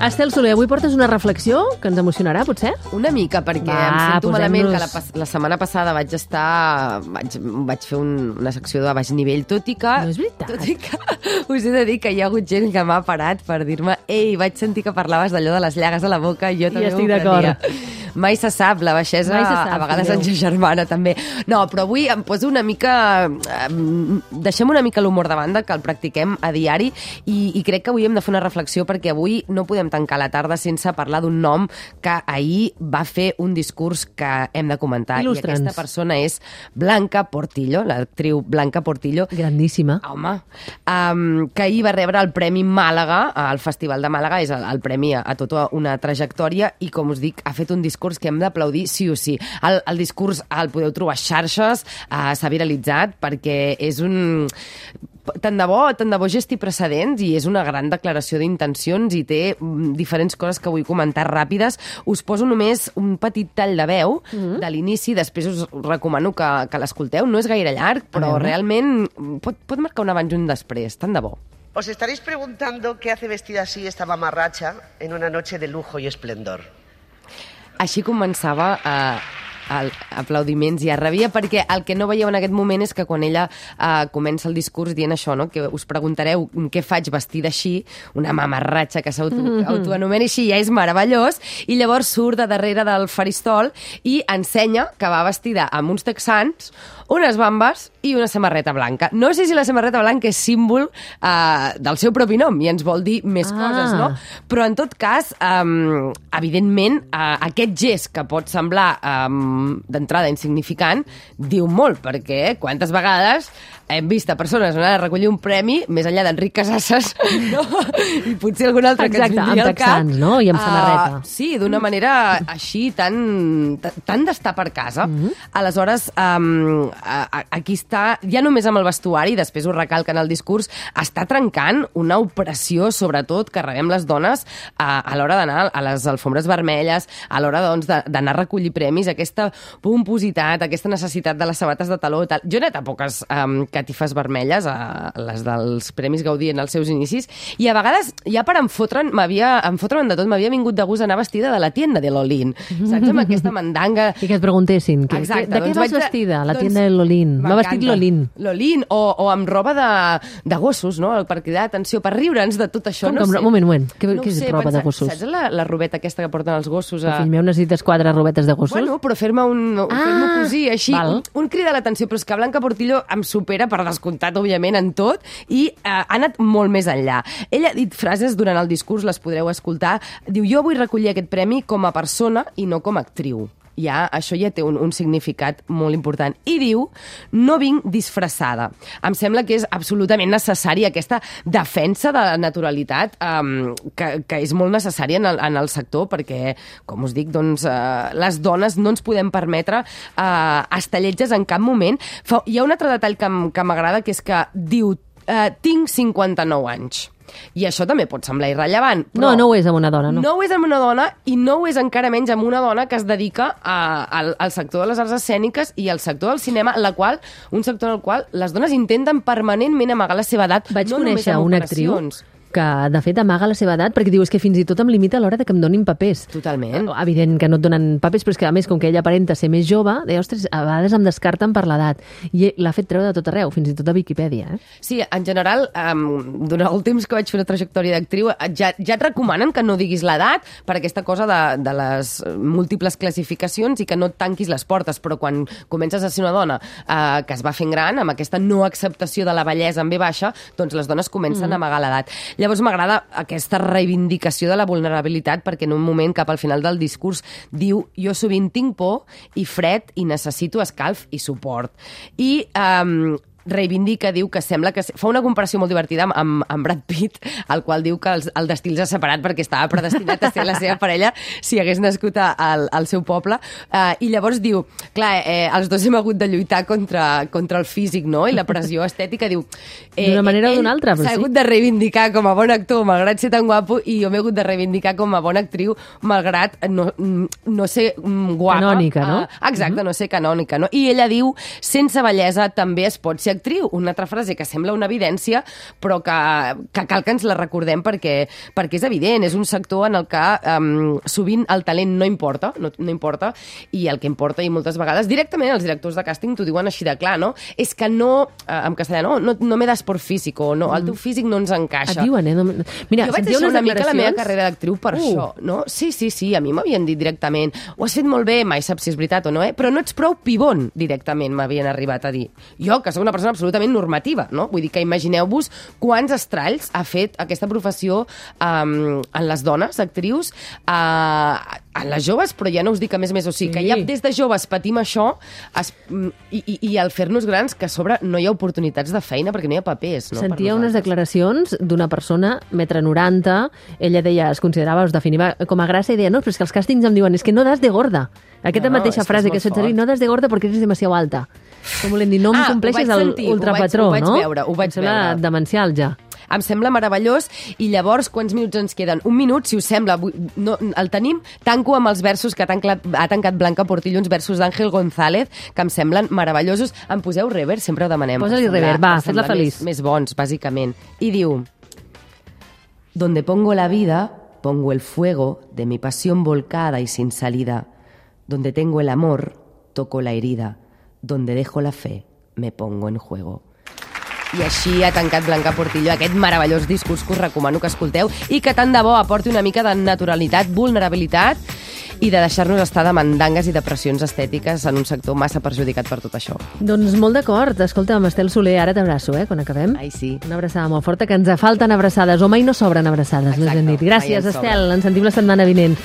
Estel Soler, avui portes una reflexió que ens emocionarà, potser? Una mica, perquè em sento malament que la setmana passada vaig fer una secció de baix nivell, tot i que... No és veritat. Tot i que us he de dir que hi ha hagut gent que m'ha parat per dir-me ei, vaig sentir que parlaves d'allò de les llagues a la boca i jo també estic d'acord. Mai se sap, la baixesa a vegades ens germana també. No, però avui em poso una mica... Deixem una mica l'humor de banda, que el practiquem a diari, i crec que avui hem de fer una reflexió perquè avui no podem tancar la tarda sense parlar d'un nom que ahir va fer un discurs que hem de comentar. Il·lustra'ns. I aquesta persona és Blanca Portillo, l'actriu Blanca Portillo. Grandíssima. Home, que ahir va rebre el Premi Màlaga, al Festival de Màlaga, és el premi a tota una trajectòria, i com us dic, ha fet un discurs que hem d'aplaudir sí o sí. El discurs el podeu trobar a xarxes, s'ha viralitzat perquè és un... Tant de bo gesti precedents, i és una gran declaració d'intencions i té diferents coses que vull comentar ràpides. Us poso només un petit tall de veu de l'inici, després us recomano que l'escolteu. No és gaire llarg, però realment pot marcar un abans i un després, tant de bo. Os estaréis preguntando qué hace vestida así esta mamarracha en una noche de lujo y esplendor. Així començava aplaudiments i arrabia, perquè el que no veieu en aquest moment és que quan ella comença el discurs dient això, no? Que us preguntareu què faig vestida així, una mamarratxa que s'autoanomena així, ja és meravellós, i llavors surt de darrere del faristol i ensenya que va vestida amb uns texans, unes bambes i una samarreta blanca. No sé si la samarreta blanca és símbol del seu propi nom i ens vol dir més coses, no? Però en tot cas, evidentment, aquest gest que pot semblar d'entrada insignificant diu molt, perquè quantes vegades hem vist a persones anar a recollir un premi més enllà d'Enric Casasses, no? I potser algun altre que ens vindria al cap. Amb texans, no? I amb samarreta. Sí, d'una manera així tan d'estar per casa. Aleshores, aquí està, ja només amb el vestuari, després ho recalca en el discurs, està trencant una opressió, sobretot, que rebem les dones a l'hora d'anar a les alfombres vermelles, a l'hora doncs, d'anar a recollir premis, aquesta pompositat, aquesta necessitat de les sabates de taló i tal. Jo he anat a poques catifes vermelles, a les dels Premis Gaudí en els seus inicis, i a vegades, ja per fotre'n de tot, m'havia vingut de gust anar vestida de la tienda de Lolín, saps? Amb aquesta mandanga... I que et preguntessin, de què vas vestida? La tienda de Lolín. M'ha vestit Lolín. Lolín, o amb roba de gossos, no? Per cridar atenció, per riure'ns de tot això. Un moment. Què és roba de gossos? Saps la robeta aquesta que porten els gossos? Fill meu, necessites 4 robetes de gossos? Bueno, però fer-me cosir així, un crit a l'atenció, però és que Blanca Portillo em supera per descomptat, òbviament, en tot, i ha anat molt més enllà. Ella ha dit frases durant el discurs, les podreu escoltar. Diu, jo vull recollir aquest premi com a persona i no com a actriu. Això ja té un significat molt important. I diu, no vinc disfressada. Em sembla que és absolutament necessària aquesta defensa de la naturalitat que és molt necessària en el sector, perquè, com us dic, doncs, les dones no ens podem permetre estelletges en cap moment. Hi ha un altre detall que m'agrada, que és que diu, tinc 59 anys. I això també pot semblar irrellevant. Però no ho és amb una dona, no. No ho és amb una dona, i no ho és encara menys amb una dona que es dedica al sector de les arts escèniques i al sector del cinema, un sector en el qual les dones intenten permanentment amagar la seva edat. Vaig conèixer una actriu que, de fet, amaga la seva edat, perquè diu, és que fins i tot em limita a l'hora de que em donin papers. Totalment. Evident que no et donen papers, però és que, a més, com que ella aparenta ser més jove, deia, ostres, a vegades em descarten per l'edat. I l'ha fet treure de tot arreu, fins i tot a Viquipèdia. Sí, en general, durant el temps que vaig fer una trajectòria d'actriu, ja et recomanen que no diguis l'edat per aquesta cosa de les múltiples classificacions i que no et tanquis les portes, però quan comences a ser una dona que es va fent gran, amb aquesta no acceptació de la bellesa en V baixa, doncs les dones comencen a amagar l'edat. Llavors m'agrada aquesta reivindicació de la vulnerabilitat, perquè en un moment cap al final del discurs diu, jo sovint tinc por i fred i necessito escalf i suport. I reivindica, diu que sembla que... Fa una comparació molt divertida amb Brad Pitt, el qual diu que el destí els ha separat perquè estava predestinat a ser la seva parella si hagués nascut al seu poble. I llavors diu, clar, els dos hem hagut de lluitar contra el físic, no? I la pressió estètica, diu... D'una manera o d'una altra, però sí. S'ha hagut de reivindicar com a bon actor, malgrat ser tan guapo, i jo m'he hagut de reivindicar com a bona actriu, malgrat no ser guapa. Canònica, no? Exacte, no ser canònica, no? I ella diu, sense bellesa també es pot ser actriu. Una altra frase que sembla una evidència, però que cal que ens la recordem perquè és evident. És un sector en el que sovint el talent no importa, no importa, i el que importa, i moltes vegades, directament els directors de càsting t'ho diuen així de clar, no? És que no, en castellà, no me das por físico, no, el teu físic no ens encaixa. Et diuen, Mira, jo vaig deixar una mica la meva carrera d'actriu per això, no? Sí, a mi m'havien dit directament, ho has fet molt bé, mai saps si és veritat o no, però no ets prou pibon, directament m'havien arribat a dir. Jo, que soc una persona absolutament normativa, no? Vull dir que imagineu-vos quants estralls ha fet aquesta professió en les dones, actrius, en les joves, però ja no us dic a més, o sigui, que ja des de joves patim això i al fer-nos grans, que a sobre no hi ha oportunitats de feina perquè no hi ha papers, no? Sentia unes declaracions d'una persona, 1,90 m, ella deia, es considerava, es definia com a grassa, i deia, no, però és que els càstings em diuen, és que no das de gorda. Aquesta mateixa frase que has fet servir, no das de gorda perquè eres demasiado alta. Com volem dir, no em compleixes l'ultrapatró, no? Ho vaig veure. Demencial, ja. Em sembla meravellós, i llavors quants minuts ens queden? Un minut, si us sembla, el tenim. Tanco amb els versos que ha tancat Blanca Portillo, uns versos d'Àngel González, que em semblen meravellosos. Em poseu reverb? Sempre ho demanem. Posa-li reverb, va, fes-la feliç. Més bons, bàsicament. I diu: Donde pongo la vida, pongo el fuego de mi pasión volcada y sin salida. Donde tengo el amor, toco la herida. Donde dejo la fe, me pongo en juego. I així ha tancat Blanca Portillo aquest meravellós discurs que us recomano que escolteu i que tant de bo aporti una mica de naturalitat, vulnerabilitat i de deixar-nos estar de mandangues i depressions estètiques en un sector massa perjudicat per tot això. Doncs molt d'acord. Escolta'm, Estel Soler, ara t'abraço, quan acabem. Ai, sí. Una abraçada molt forta, que ens falten abraçades, o mai no sobren abraçades, més ben dit. Gràcies, Estel. Ens sentim la setmana vinent.